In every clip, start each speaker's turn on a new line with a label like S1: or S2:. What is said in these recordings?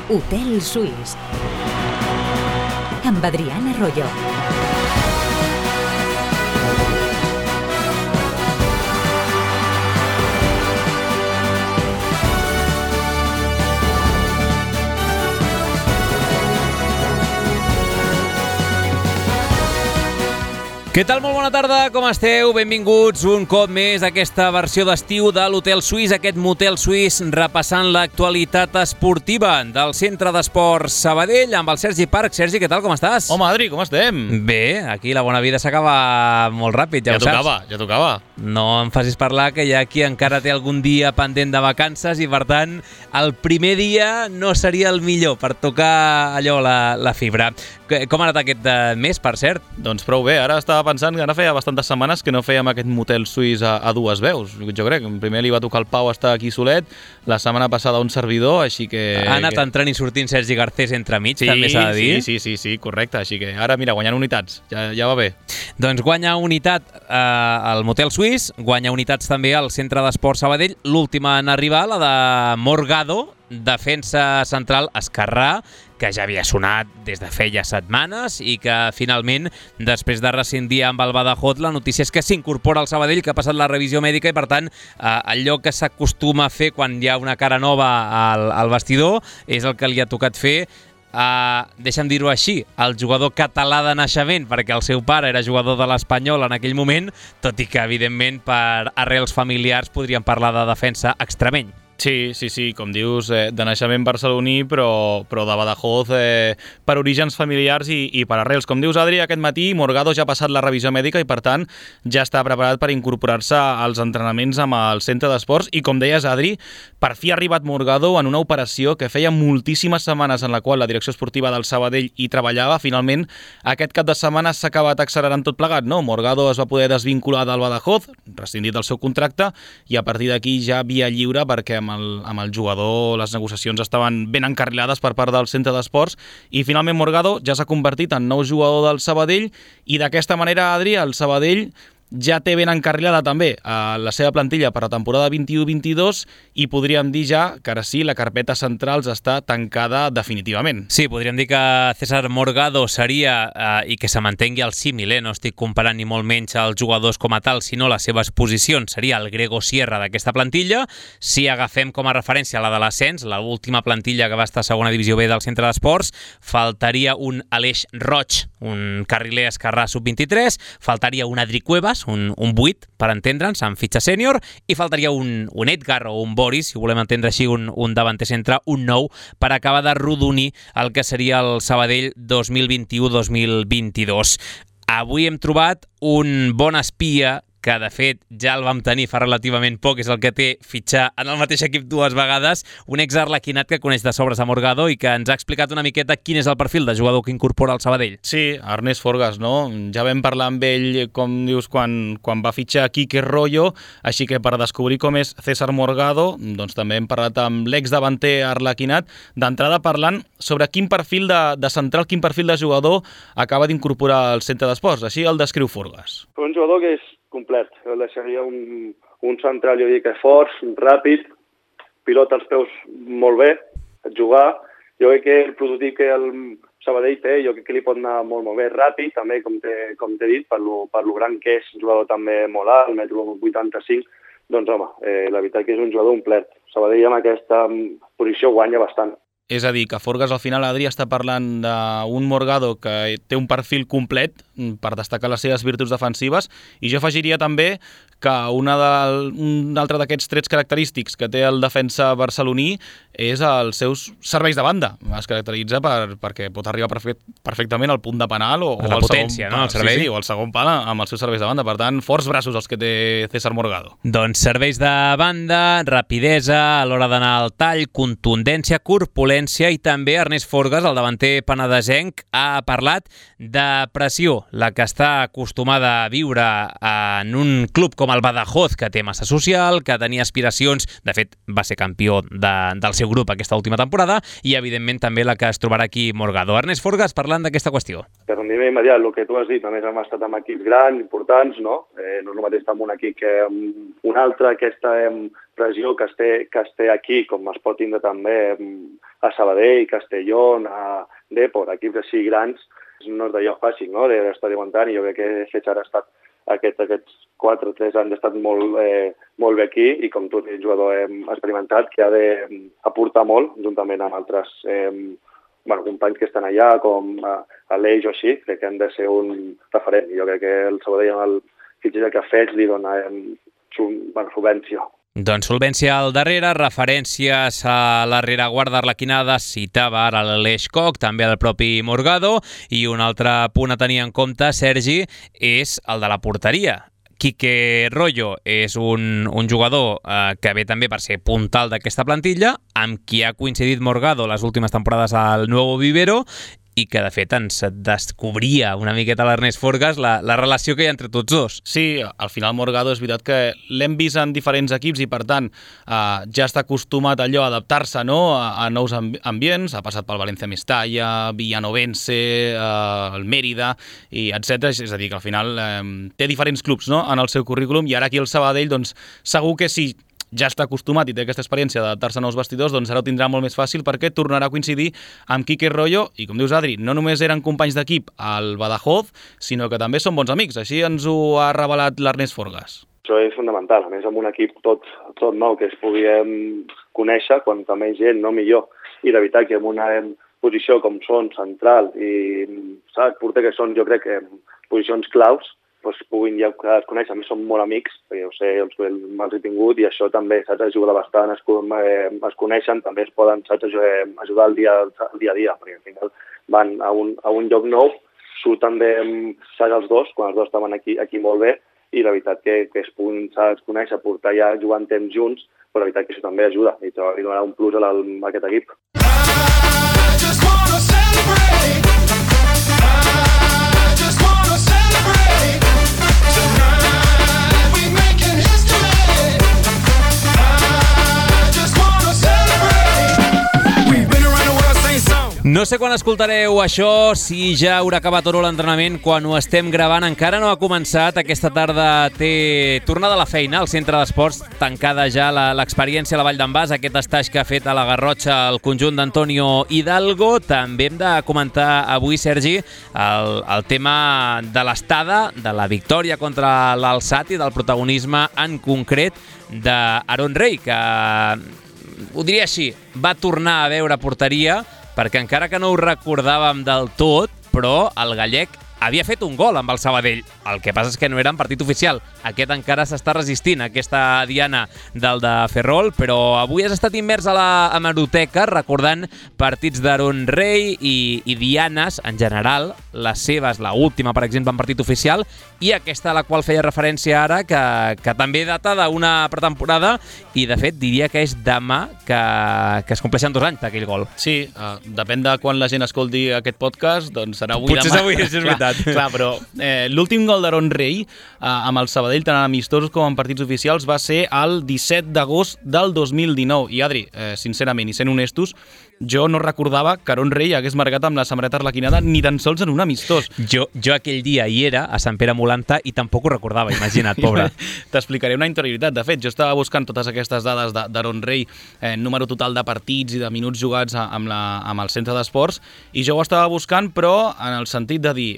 S1: Hotel Suís amb Adriana Royo.
S2: Què tal? Molt bona tarda, com esteu? Benvinguts un cop més a aquesta versió d'estiu de l'Hotel Suís, aquest motel suís repassant l'actualitat esportiva del Centre d'Esports Sabadell amb el Sergi Parc. Sergi, què tal? Com estàs?
S3: Home, Adri, com estem?
S2: Bé, aquí la bona vida s'acaba molt ràpid, ja ho saps.
S3: Ja tocava.
S2: No em facis parlar que hi ha qui encara té algun dia pendent de vacances i, per tant, el primer dia no seria el millor per tocar allò, la fibra. Com ha anat aquest mes, per cert?
S3: Doncs prou bé, ara estava pensant que ara feia bastantes setmanes que no fèiem aquest motel suís a dues veus. Jo crec que primer li va tocar el Pau estar aquí solet, la setmana passada un servidor, així que...
S2: Ha anat entrant i sortint Sergi Garcés entremig, també s'ha de dir.
S3: Sí, correcte, així que ara, mira, guanyant unitats, ja va bé.
S2: Doncs guanya unitat al motel suís, guanya unitats també al Centre d'Esports Sabadell, l'última en arribar, la de Morgado, defensa central esquerrà, que ja havia sonat des de feia setmanes i que finalment, després de rescindir amb el Badajoz, la notícia és que s'incorpora al Sabadell, que ha passat la revisió mèdica i, per tant, allò que s'acostuma a fer quan hi ha una cara nova al vestidor és el que li ha tocat fer. Deixa'm dir-ho així, el jugador català de naixement, perquè el seu pare era jugador de l'Espanyol en aquell moment, tot i que, evidentment, per arrels familiars podríem parlar de defensa extremeny.
S3: Sí, com dius, de naixement barceloní, però de Badajoz per orígens familiars i per arrels. Com dius, Adri, aquest matí Morgado ja ha passat la revisió mèdica i, per tant, ja està preparat per incorporar-se als entrenaments amb el centre d'esports. I, com deies, Adri, per fi ha arribat Morgado en una operació que feia moltíssimes setmanes en la qual la direcció esportiva del Sabadell hi treballava. Finalment, aquest cap de setmana s'ha acabat accelerant tot plegat, no? Morgado es va poder desvincular del Badajoz, rescindit el seu contracte, i a partir d'aquí ja via lliure perquè amb el jugador les negociacions estaven ben encarrilades per part del centre d'esports i finalment Morgado ja s'ha convertit en nou jugador del Sabadell i d'aquesta manera, Adri, el Sabadell ja té ben encarrilada també la seva plantilla per la temporada 21-22 i podríem dir ja que ara sí, la carpeta centrals està tancada definitivament.
S2: Sí, podríem dir que César Morgado seria, i que se mantengui el símil, no estic comparant ni molt menys els jugadors com a tal, sinó les seves posicions, seria el Grego Sierra d'aquesta plantilla. Si agafem com a referència la de l'ascens, l'última plantilla que va estar a segona divisió B del Centre d'Esports, faltaria un Aleix Roig, un carriler esquerrà sub-23, faltaria un Adri Cuevas, un 8, per entendre'ns, amb fitxa sènior, i faltaria un Edgar o un Boris, si volem entendre així, un davanter centre, un 9, per acabar de rodonir el que seria el Sabadell 2021-2022. Avui hem trobat un bon espia que de fet ja el vam tenir fa relativament poc, és el que té fitxar en el mateix equip dues vegades, un ex-arlequinat que coneix de sobres a Morgado i que ens ha explicat una miqueta quin és el perfil de jugador que incorpora al Sabadell.
S3: Sí, Ernest Forgas, no? Ja vam parlar amb ell, com dius, quan va fitxar Quique Royo, així que per descobrir com és César Morgado, doncs també hem parlat amb l'ex-davanter arlequinat, d'entrada parlant sobre quin perfil de central, quin perfil de jugador acaba d'incorporar al centre d'esports. Així el descriu Forgas.
S4: Un jugador que és complet. Jo el deixaria un central, jo dic, fort, ràpid, pilota els peus molt bé, jugar. Jo crec que el prototip que el Sabadell té, jo crec que li pot anar molt bé ràpid, també, com t'he dit, per lo gran que és, un jugador també molt alt, 1,85 m, doncs home, la veritat que és un jugador complet. Sabadell amb aquesta posició guanya bastant.
S3: És a dir, que Forgas al final, Adri, està parlant d'un Morgado que té un perfil complet per destacar les seves virtuts defensives i jo afegiria també que un altre d'aquests trets característics que té el defensa barceloní és els seus serveis de banda. Es caracteritza perquè pot arribar perfectament al punt de penal o
S2: la potència, no? El servei.
S3: Sí, o al segon pal amb els seus serveis de banda. Per tant, forts braços els que té César Morgado.
S2: Doncs serveis de banda, rapidesa a l'hora d'anar al tall, contundència, corpulència i també Ernest Forgas, el davanter penedesenc, ha parlat de pressió, la que està acostumada a viure en un club com el Badajoz, que té massa social, que tenia aspiracions, de fet va ser campió del seu grup aquesta última temporada, i evidentment també la que es trobarà aquí Morgado. Ernest Forgas parlant d'aquesta qüestió.
S4: Per rendiment immediat, el que tu has dit, a més hem estat amb equips grans, importants, no? No és el mateix estar amb un equip que un altre, aquesta pressió que es té aquí, com es pot tindre també a Sabadell, Castellón, a Depor, equips així grans, no és d'allò fàcil, no?, d'estar aguantant, i jo crec que Fetge ha estat aquests 4 o 3 anys ha estat molt bé aquí, i com tu, el jugador experimentat, que ha d'aportar molt, juntament amb altres companys que estan allà, com Aleix o així, crec que han de ser un referent. Jo crec que el Sabadell, amb el fitxatge que ha fet, li dona solvència.
S2: Doncs solvència al darrere, referències a la rereguarda arlequinada, citava ara l'Aleix Koch, també el propi Morgado, i un altre punt a tenir en compte, Sergi, és el de la porteria. Quique Royo és un jugador que ve també per ser puntal d'aquesta plantilla, amb qui ha coincidit Morgado les últimes temporades al Nuevo Vivero, i que, de fet, ens descobria una miqueta l'Ernest Forgas la relació que hi ha entre tots dos.
S3: Sí, al final Morgado és veritat que l'hem vist en diferents equips i, per tant, ja està acostumat allò a adaptar-se, no?, a nous ambients. Ha passat pel València Mestalla, Villanovense, el Mérida, i etc. És a dir, que al final té diferents clubs, no?, en el seu currículum, i ara aquí el Sabadell, doncs, segur que sí, ja està acostumat i té aquesta experiència d'adaptar-se a nous vestidors, doncs ara ho tindrà molt més fàcil perquè tornarà a coincidir amb Quique Royo, i com dius, Adri, no només eren companys d'equip al Badajoz, sinó que també són bons amics. Així ens ho ha revelat l'Ernest Forgas.
S4: Això és fonamental, a més amb un equip tot nou que es puguem conèixer, quanta més gent, no millor. I la veritat que en una posició com són central i porter, que són, jo crec, posicions claus, puguin ja es conèixer. A més, són molt amics, perquè jo sé, me'ls he tingut, i això també, ajuda bastant, es coneixen, també es poden, ajudar el dia a dia, perquè al final van a un lloc nou, surten bé, els dos, quan els dos estaven aquí molt bé, i la veritat que es puguin conèixer, portar ja jugant temps junts, però la veritat que això també ajuda, i li donarà un plus a aquest equip.
S2: No sé quan escoltareu això, si ja haurà acabat o no l'entrenament. Quan ho estem gravant encara no ha començat. Aquesta tarda té tornada a la feina al Centre d'Esports, tancada ja l'experiència a la Vall d'en Bas, aquest estatge que ha fet a la Garrotxa el conjunt d'Antonio Hidalgo. També hem de comentar avui, Sergi, el tema de l'estada, de la victòria contra l'Alçat i del protagonisme en concret d'Aaron Rey, que, ho diria així, va tornar a veure porteria, perquè encara que no ho recordàvem del tot, però el gallec havia fet un gol amb el Sabadell. El que passa és que no era en partit oficial. Aquest encara s'està resistint, aquesta diana del de Ferrol, però avui has estat immers a la hemeroteca recordant partits d'Aaron Rey i dianes en general, les seves, l'última, per exemple, en partit oficial, i aquesta a la qual feia referència ara, que també data d'una pretemporada, i de fet diria que és demà que es compleixen 2 anys d'aquell gol.
S3: Sí, depèn de quan la gent escolti aquest podcast, doncs serà avui.
S2: Potser
S3: demà.
S2: Avui, és veritat.
S3: Clar, però l'últim gol d'Aaron Rey amb el Sabadell, tant en amistosos com en partits oficials, va ser el 17 d'agost del 2019. I Adri, sincerament, i sent honestos, jo no recordava que Aaron Rey hagués marcat amb la samarreta arlequinada ni tan sols en un amistós.
S2: Jo aquell dia hi era, a Sant Pere Molanta, i tampoc ho recordava, imagina't, pobre.
S3: T'explicaré una interioritat. De fet, jo estava buscant totes aquestes dades d'Aaron Rey, número total de partits i de minuts jugats amb el Centre d'Esports, i jo ho estava buscant, però en el sentit de dir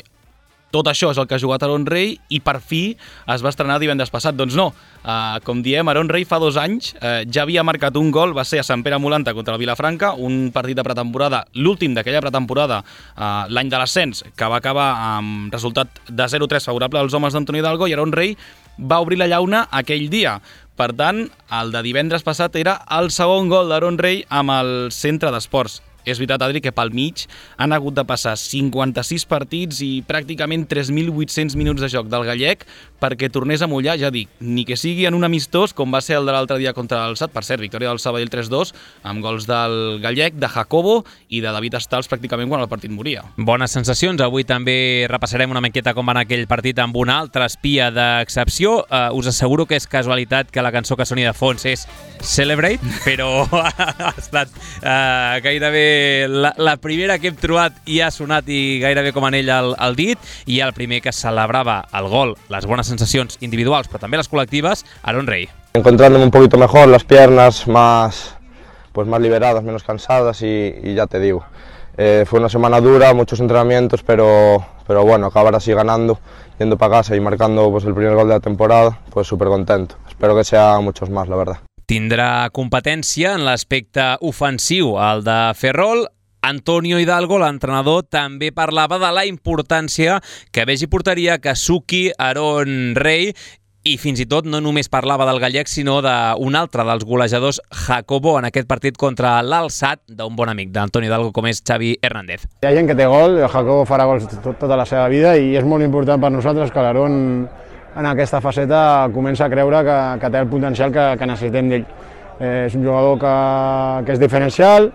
S3: tot això és el que ha jugat Aaron Rey i per fi es va estrenar divendres passat. Doncs no, com diem, Aaron Rey fa 2 anys ja havia marcat un gol, va ser a Sant Pere Molanta contra el Vilafranca, un partit de pretemporada, l'últim d'aquella pretemporada, l'any de l'ascens, que va acabar amb resultat de 0-3 favorable als homes d'Antonio Hidalgo, i Aaron Rey va obrir la llauna aquell dia. Per tant, el de divendres passat era el segon gol d'Aaron Rey amb el Centre d'Esports. És veritat, Adri, que pel mig han hagut de passar 56 partits i pràcticament 3.800 minuts de joc del gallec perquè tornés a mullar, ja dic, ni que sigui en un amistós, com va ser el de l'altre dia contra l'Alçat, per cert, victòria del Sabadell 3-2, amb gols del gallec, de Jacobo i de David Estals pràcticament quan el partit moria.
S2: Bones sensacions. Avui també repassarem una miqueta com va anar aquell partit amb una altra espia d'excepció. Us asseguro que és casualitat que la cançó que soni de fons és Celebrate, però ha estat gairebé la primera que hem trobat i ha sonat i gairebé com en ell al dit, i el primer que celebrava el gol, les bones sensacions individuals però també les col·lectives, Aaron Rey.
S5: Encontrándome un poquito mejor, las piernas más pues más liberadas, menos cansadas y ya te digo. Fue una semana dura, muchos entrenamientos, pero bueno, acabar así ganando, yendo para casa y marcando pues, el primer gol de la temporada, pues súper contento. Espero que sea muchos más, la verdad.
S2: Tindrà competència en l'aspecte ofensiu, el de Ferrol. Antonio Hidalgo, l'entrenador, també parlava de la importància que vegi porteria Kazuki, Aaron Rey, i fins i tot no només parlava del gallec, sinó d'un altre dels golejadors, Jacobo, en aquest partit contra l'Alsat, d'un bon amic d'Antonio Hidalgo, com és Xavi Hernández.
S6: Hi ha gent que té gol, el Jacobo farà gols tota la seva vida i és molt important per nosaltres que l'Aaron en aquesta faceta comença a creure que té el potencial que necessitem d'ell. És un jugador que és diferencial,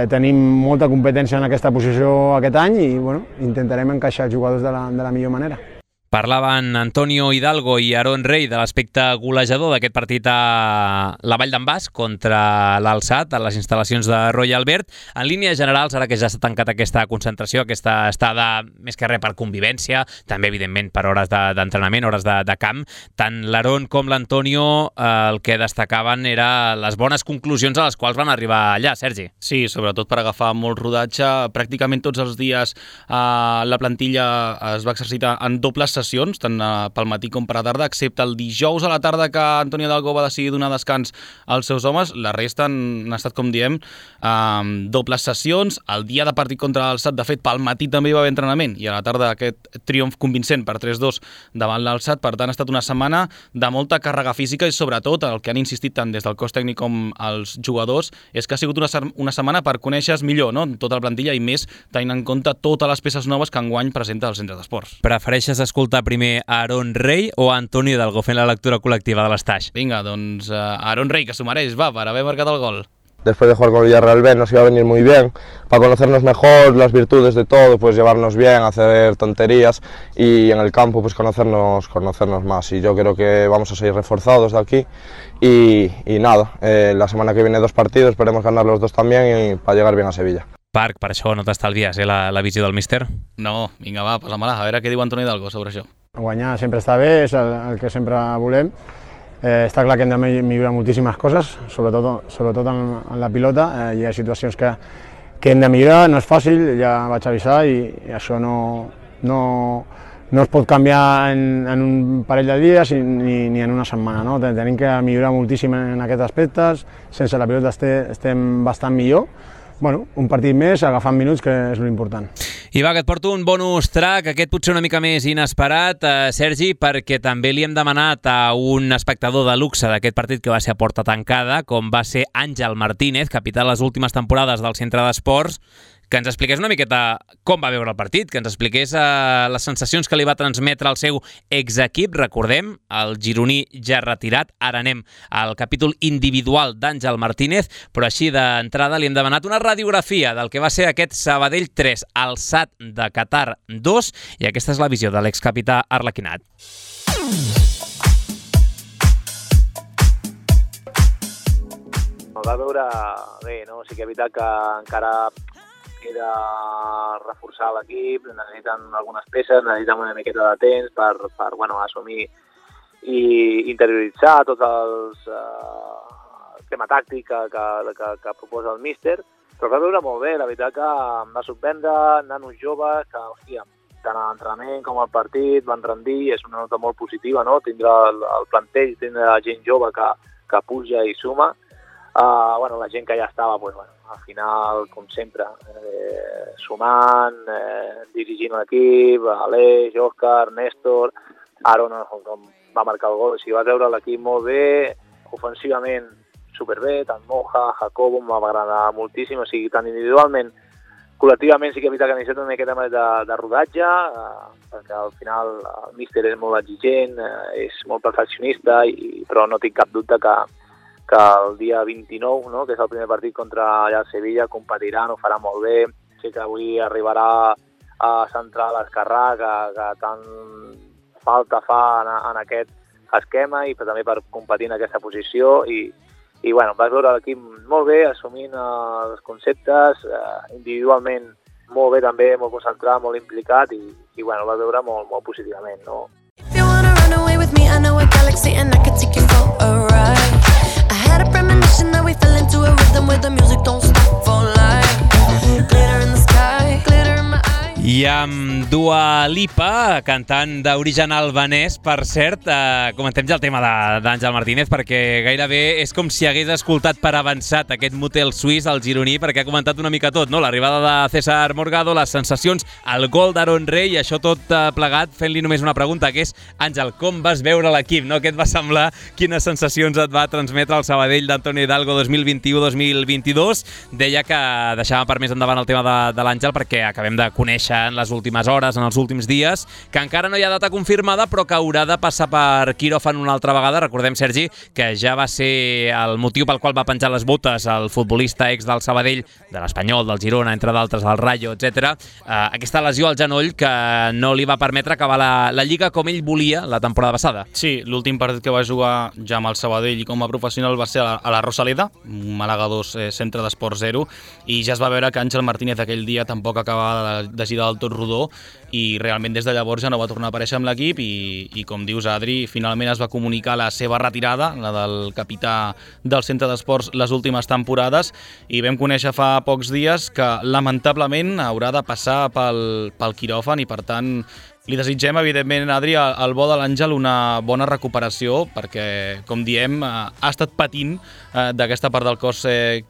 S6: tenim molta competència en aquesta posició aquest any i bueno, intentarem encaixar els jugadors de la millor manera.
S2: Parlaven Antonio Hidalgo i Aaron Rey de l'aspecte golejador d'aquest partit a la Vall d'en Bas contra l'Alsat, a les instal·lacions de Royal Albert. En línies generals, ara que ja s'ha tancat aquesta concentració, aquesta estada més que res per convivència, també evidentment per hores d'entrenament, hores de camp, tant l'Aaron com l'Antonio el que destacaven era les bones conclusions a les quals van arribar allà, Sergi.
S3: Sí, sobretot per agafar molt rodatge. Pràcticament tots els dies la plantilla es va exercitar en dobles sessions, tant pel matí com per la tarda, excepte el dijous a la tarda que Antonio Hidalgo va decidir donar descans als seus homes. La resta han estat, com diem, dobles sessions. El dia de partit contra l'Alsat, de fet, pel matí també hi va haver entrenament i a la tarda aquest triomf convincent per 3-2 davant l'Alsat. Per tant, ha estat una setmana de molta càrrega física i sobretot el que han insistit tant des del cos tècnic com els jugadors és que ha sigut una setmana per conèixer millor, no?, tota la plantilla i més tenint en compte totes les peces noves que enguany presenta el centre d'esports.
S2: Prefereixes escoltar primer Aaron Rey o Antonio Hidalgo fent la lectura col·lectiva de l'Estaix?
S3: Vinga, doncs Aaron Rey, que s'ho mereix, va, per haver marcat el gol.
S5: Después de jugar con el Villarreal B nos iba a venir muy bien, para conocernos mejor, las virtudes de todo, pues llevarnos bien, hacer tonterías y en el campo pues conocernos más. Y yo creo que vamos a seguir reforzados de aquí y nada, la semana que viene 2 partidos, esperemos ganar los 2 también y para llegar bien a Sevilla.
S2: Parc, per això no t'estalvies, la visió del míster?
S3: No, vinga, va, posa-me-la, a veure què diu Antonio Hidalgo sobre això.
S6: Guanyar sempre està bé, és el que sempre volem. Està clar que hem de millorar moltíssimes coses, sobretot en la pilota. Hi ha situacions que hem de millorar, no és fàcil, ja vaig avisar i això no es pot canviar en un parell de dies ni en una setmana. No? Tenim que millorar moltíssim en aquests aspectes, sense la pilota estem bastant millor. Bueno, un partit més, agafant minuts, que és l'important.
S2: I va, que et porto un bonus track, aquest potser una mica més inesperat, Sergi, perquè també li hem demanat a un espectador de luxe d'aquest partit que va ser a porta tancada, com va ser Àngel Martínez, capità de les últimes temporades del Centre d'Esports, que ens expliqués una miqueta com va veure el partit, que ens expliqués les sensacions que li va transmetre el seu exequip. Recordem, el gironí ja retirat. Ara anem al capítol individual d'Àngel Martínez, però així d'entrada li hem demanat una radiografia del que va ser aquest Sabadell 3, Alsat de Qatar 2, i aquesta és la visió de l'excapità arlequinat.
S7: Va veure bé, no? Sí que és veritat que encara queda reforçar l'equip, necessiten algunes peces, necessiten una miqueta de temps per assumir i interioritzar tots els tema tàctic que proposa el míster, però va veure molt bé, la veritat que em va sorprendre, nanos joves, que, hòstia, tant a l'entrenament com al partit van rendir, és una nota molt positiva, no? Tindrà el plantell, tindrà gent jove que puja i suma. La gent que ja estava, al final, com sempre, sumant, dirigint l'equip, Aleix, Òscar, Néstor, Aaron va marcar el gol. O sigui, va veure l'equip molt bé, ofensivament superbé, tant Moja, Jacobo, em va agradar moltíssim, o sigui, tant individualment, col·lectivament sí que és veritat que necessita una miqueta més de rodatge, perquè al final el míster és molt exigent, és molt perfeccionista, però no tinc cap dubte que el dia 29, no, que és el primer partit contra allà a Sevilla, competiran, ho farà molt bé. Sé que avui arribarà a centrar l'esquerrà, que tant falta fa en aquest esquema, i també per competir en aquesta posició. I vas veure l'equip molt bé, assumint els conceptes, individualment molt bé també, molt concentrat, molt implicat, i vas veure molt, molt positivament, no? If you wanna run away with me, I know a galaxy and I can take you for a ride. I had a premonition that we fell into a rhythm.
S8: rhythm with the music, don't stop for life. Glitter in the sky, glitter in my eyes.
S2: I amb Dua Lipa, cantant d'origen albanès, per cert, comentem ja el tema d'Àngel Martínez, perquè gairebé és com si hagués escoltat per avançat aquest motel suís al gironí, perquè ha comentat una mica tot, no? L'arribada de César Morgado, les sensacions, el gol d'Aaron Rey, i això tot plegat, fent-li només una pregunta, que és, Àngel, com vas veure l'equip, no? Què et va semblar? Quines sensacions et va transmetre el Sabadell d'Antonio Hidalgo 2021-2022? Deia que deixàvem per més endavant el tema de l'Àngel, perquè acabem de conèixer en les últimes hores, en els últims dies, que encara no hi ha data confirmada, però que haurà de passar per quiròfan una altra vegada. Recordem, Sergi, que ja va ser el motiu pel qual va penjar les botes el futbolista ex del Sabadell, de l'Espanyol, del Girona, entre d'altres, del Rayo, etc. Aquesta lesió al genoll que no li va permetre acabar la Lliga com ell volia la temporada passada.
S3: Sí, l'últim partit que va jugar ja amb el Sabadell i com a professional va ser a la Rosaleda, Màlaga 2, centre d'Esport 0, i ja es va veure que Àngel Martínez aquell dia tampoc acabava de girar del tot rodó, i realment des de llavors ja no va tornar a aparèixer amb l'equip, i com dius, Adri, finalment es va comunicar la seva retirada, la del capità del centre d'esports les últimes temporades, i vam conèixer fa pocs dies que lamentablement haurà de passar pel quiròfan, i per tant li desitgem, evidentment, Adri, al bo de l'Àngel una bona recuperació, perquè, com diem, ha estat patint d'aquesta part del cos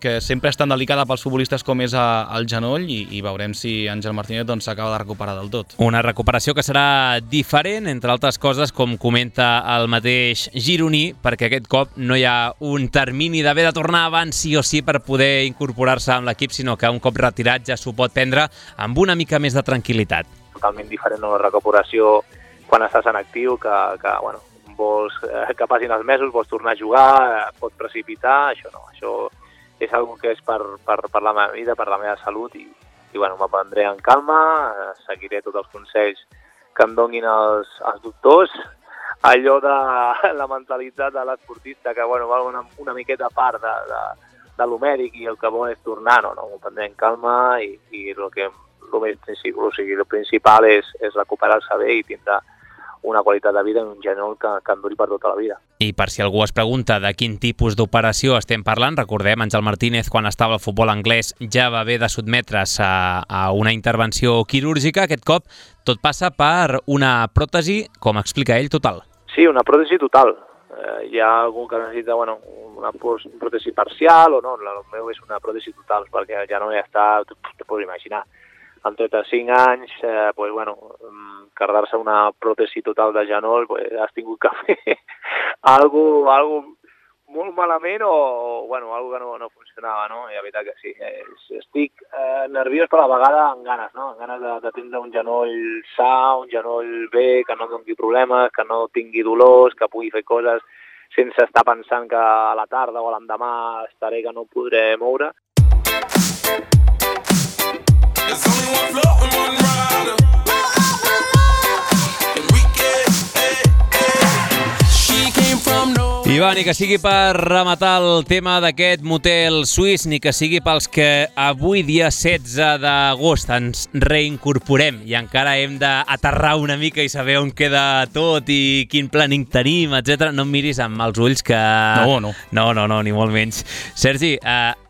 S3: que sempre és tan delicada pels futbolistes com és el genoll, i veurem si Àngel Martínez s'acaba de recuperar del tot.
S2: Una recuperació que serà diferent, entre altres coses, com comenta el mateix gironí, perquè aquest cop no hi ha un termini d'haver de tornar abans sí o sí per poder incorporar-se amb l'equip, sinó que un cop retirat ja s'ho pot prendre amb una mica més de tranquil·litat.
S7: Totalment diferent una recuperació quan estàs en actiu, que bueno, vols que passin els mesos, vols tornar a jugar, pot precipitar, això no, això és una que és per la meva vida, per la meva salut, i bueno, m'aprendré en calma, seguiré tots els consells que em donin els doctors, allò de la mentalitat de l'esportista, que bueno, val una miqueta a part de lo mèdic, i el que vol és tornar, no, m'ho prendré en calma, i el principal és recuperar-se bé i tindre una qualitat de vida en un genoll que en duri per tota la vida.
S2: I per si algú es pregunta de quin tipus d'operació estem parlant, recordem, Àngel Martínez, quan estava al futbol anglès, ja va haver de sotmetre's a una intervenció quirúrgica. Aquest cop tot passa per una pròtesi, com explica ell, total.
S7: Sí, una pròtesi total. Hi ha algú que necessita una pròtesi parcial o no, el meu és una pròtesi total, perquè ja no hi està, te pots imaginar. Amb 35 anys, carregar-se una pròtesi total de genoll, has tingut que fer algo molt malament o algo que no funcionava, no? I la veritat que sí, estic nerviós però a la vegada amb ganes, no? Amb ganes de tindre un genoll sa, un genoll bé, que no doni problemes, que no tingui dolors, que pugui fer coses sense estar pensant que a la tarda o a l'endemà estaré que no podré moure.
S9: There's only one floor and one rider.
S2: I va, ni que sigui per rematar el tema d'aquest motel suís, ni que sigui pels que avui, dia 16 d'agost, ens reincorporem i encara hem d'aterrar una mica i saber on queda tot i quin planning tenim, etc. No em miris amb els ulls que... No, ni molt menys. Sergi,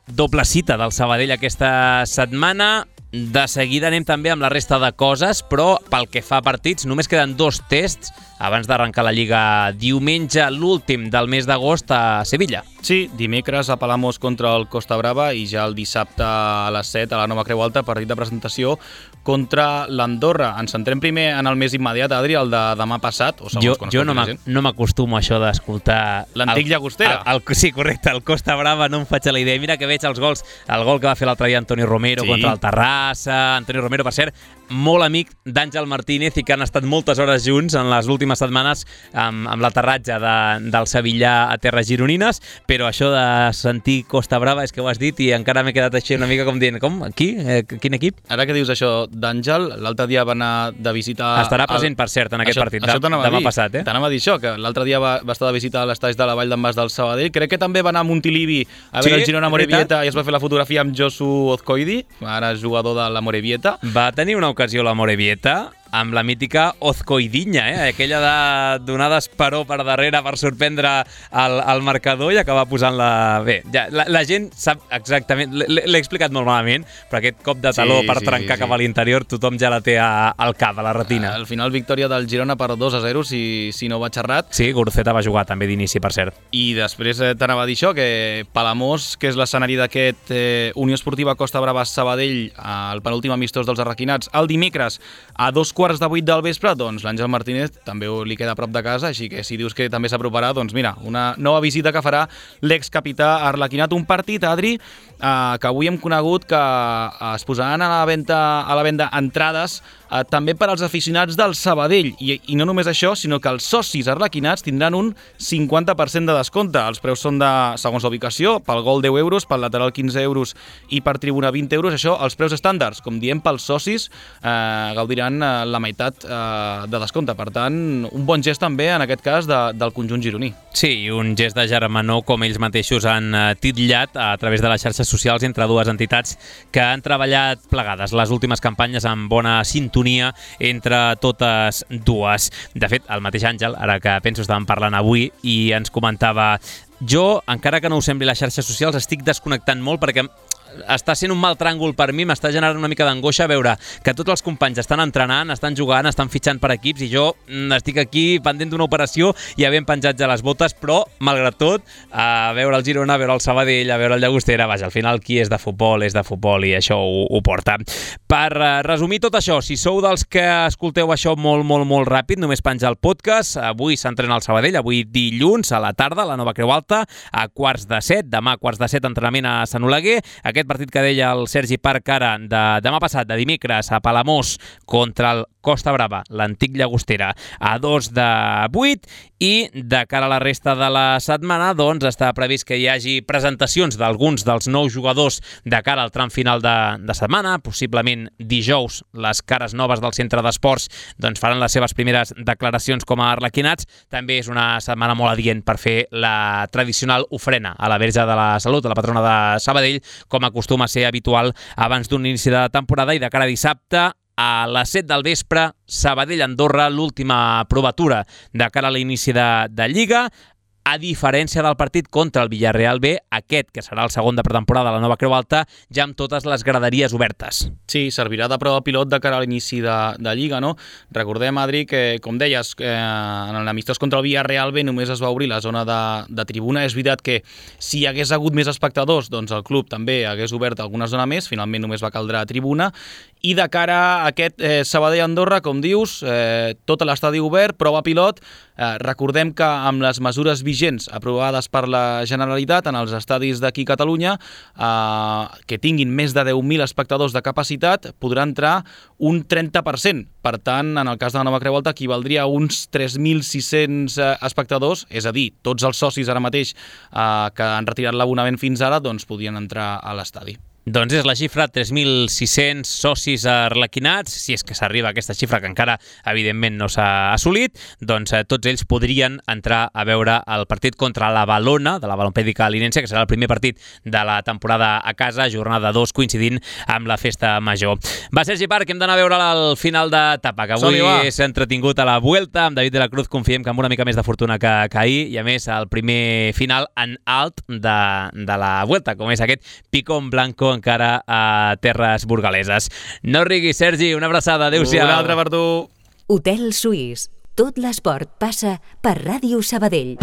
S2: doble cita del Sabadell aquesta setmana. De seguida anem també amb la resta de coses, però pel que fa a partits només queden 2 tests abans d'arrencar la Lliga diumenge, l'últim del mes d'agost a Sevilla.
S3: Sí, dimecres a Palamós contra el Costa Brava i ja el dissabte a les 7 a la Nova Creu Alta, partit de presentació contra l'Andorra. Ens centrem primer en el més immediat, Adri, el de demà passat. O
S2: jo no m'acostumo a això d'escoltar...
S3: L'antic Llagostera.
S2: Sí, correcte, el Costa Brava no em faig a la idea. Mira que veig els gols, el gol que va fer l'altre dia Antonio Romero contra el Terrassa. Antonio Romero, per cert, molt amic d'Àngel Martínez i que han estat moltes hores junts en les últimes setmanes amb l'aterratge del Sevillà a terres gironines, però això de sentir Costa Brava és que ho has dit i encara m'he quedat així una mica com dient, com? Qui? Quin equip?
S3: Ara que dius això d'Àngel, l'altre dia va anar de visita...
S2: Estarà present, per cert, en aquest partit demà passat,
S3: T'anava a dir això, que l'altre dia va estar de visita a l'estaix de la Vall d'en Bas del Sabadell. Crec que també va anar a Montilivi a veure el Girona Morevieta i es va fer la fotografia amb Josu Ozcoidi, ara jugador de la Morevieta.
S2: Va tenir una ocasió la Morevieta amb la mítica Ozcoidinha, aquella de donar d'esperó per darrere per sorprendre el marcador i acabar posant-la... Bé, ja, la gent sap exactament... L'he explicat molt malament, però aquest cop de taló per trencar cap a l'interior tothom ja la té al cap, a la retina.
S3: Al final, victòria del Girona per 2-0, si no vaig errat.
S2: Sí, Guruceta va jugar també d'inici, per cert.
S3: I després t'anava a dir això, que Palamós, que és l'escenari d'aquest Unió Esportiva Costa Brava Sabadell, el penúltim amistós dels arraquinats, el dimecres a 7:15 del vespre, doncs l'Àngel Martínez també li queda a prop de casa, així que si dius que també s'aproparà, doncs mira, una nova visita que farà l'excapità arlequinat. Un partit, Adri, que avui hem conegut que es posaran a la venda entrades també per als aficionats del Sabadell. I no només això, sinó que els socis arlequinats tindran un 50% de descompte. Els preus són segons la ubicació, pel gol 10 euros, pel lateral 15 euros i per tribuna 20 euros. Això, els preus estàndards, com diem, pels socis gaudiran la meitat de descompte. Per tant, un bon gest també, en aquest cas, del conjunt gironí.
S2: Sí, un gest de germanor, com ells mateixos han titllat a través de les xarxes socials entre dues entitats que han treballat plegades les últimes campanyes amb bona sintonia entre totes dues. De fet, el mateix Àngel, ara que penso estàvem parlant avui, i ens comentava: jo, encara que no ho sembli les xarxes socials, estic desconnectant molt perquè està sent un mal tràngol per mi, m'està generant una mica d'angoixa veure que tots els companys estan entrenant, estan jugant, estan fitxant per equips i jo estic aquí pendent d'una operació i havent penjat ja les botes, però malgrat tot, a veure el Girona, a veure el Sabadell, a veure el Llagostera, vaja, al final qui és de futbol i això ho porta. Per resumir tot això, si sou dels que escolteu això molt ràpid, només penjar el podcast. Avui s'entrena al Sabadell, avui dilluns a la tarda, a la Nova Creu Alta, a 7:15, demà 7:15 entrenament a Sant Oleguer. Aquest partit que deia el Sergi Parc ara, de demà passat, de dimecres, a Palamós contra el Costa Brava, l'antic Llagostera, a 2/8, i de cara a la resta de la setmana doncs està previst que hi hagi presentacions d'alguns dels nous jugadors de cara al tram final de setmana. Possiblement dijous les cares noves del centre d'esports doncs faran les seves primeres declaracions com a arlequinats. També és una setmana molt adient per fer la tradicional ofrena a la Verge de la Salut, a la patrona de Sabadell, com acostuma a ser habitual abans d'un inici de temporada. I de cara a dissabte, a les 7 del vespre, Sabadell-Andorra, l'última provatura de cara a l'inici de Lliga. A diferència del partit contra el Villarreal B, aquest, que serà el segon de pretemporada a la Nova Creu Alta, ja amb totes les graderies obertes.
S3: Sí, servirà de prova pilot de cara a l'inici de Lliga, no? Recordem, Adri, que, com deies, en l'amistós contra el Villarreal B només es va obrir la zona de tribuna. És veritat que si hi hagués hagut més espectadors, doncs el club també hagués obert alguna zona més, finalment només va caldre tribuna. I de cara a aquest Sabadell-Andorra, com dius, tot l'estadi obert, prova pilot. Recordem que amb les mesures vigents aprovades per la Generalitat en els estadis d'aquí a Catalunya, que tinguin més de 10.000 espectadors de capacitat, podrà entrar un 30%. Per tant, en el cas de la Nova Creu Alta, equivaldria a uns 3.600 espectadors, és a dir, tots els socis ara mateix que han retirat l'abonament fins ara, doncs podien entrar a l'estadi.
S2: Doncs és la xifra, 3.600 socis arlequinats. Si és que s'arriba a aquesta xifra, que encara, evidentment, no s'ha assolit, doncs tots ells podrien entrar a veure el partit contra la Valona, de la Balompèdica Linense, que serà el primer partit de la temporada a casa, jornada 2, coincidint amb la festa major. Va, Sergi Parc, hem d'anar a veure el final d'etapa, que avui és entretingut a la Vuelta. Amb David de la Cruz confiem que amb una mica més de fortuna que ahir, i a més el primer final en alt de la Vuelta, com és aquest Picón Blanco encara a terres burgaleses. No riguis, Sergi, una abraçada, adéu-siau.
S3: Una altra per tu.
S1: Hotel Suís. Tot l'esport passa per Ràdio Sabadell.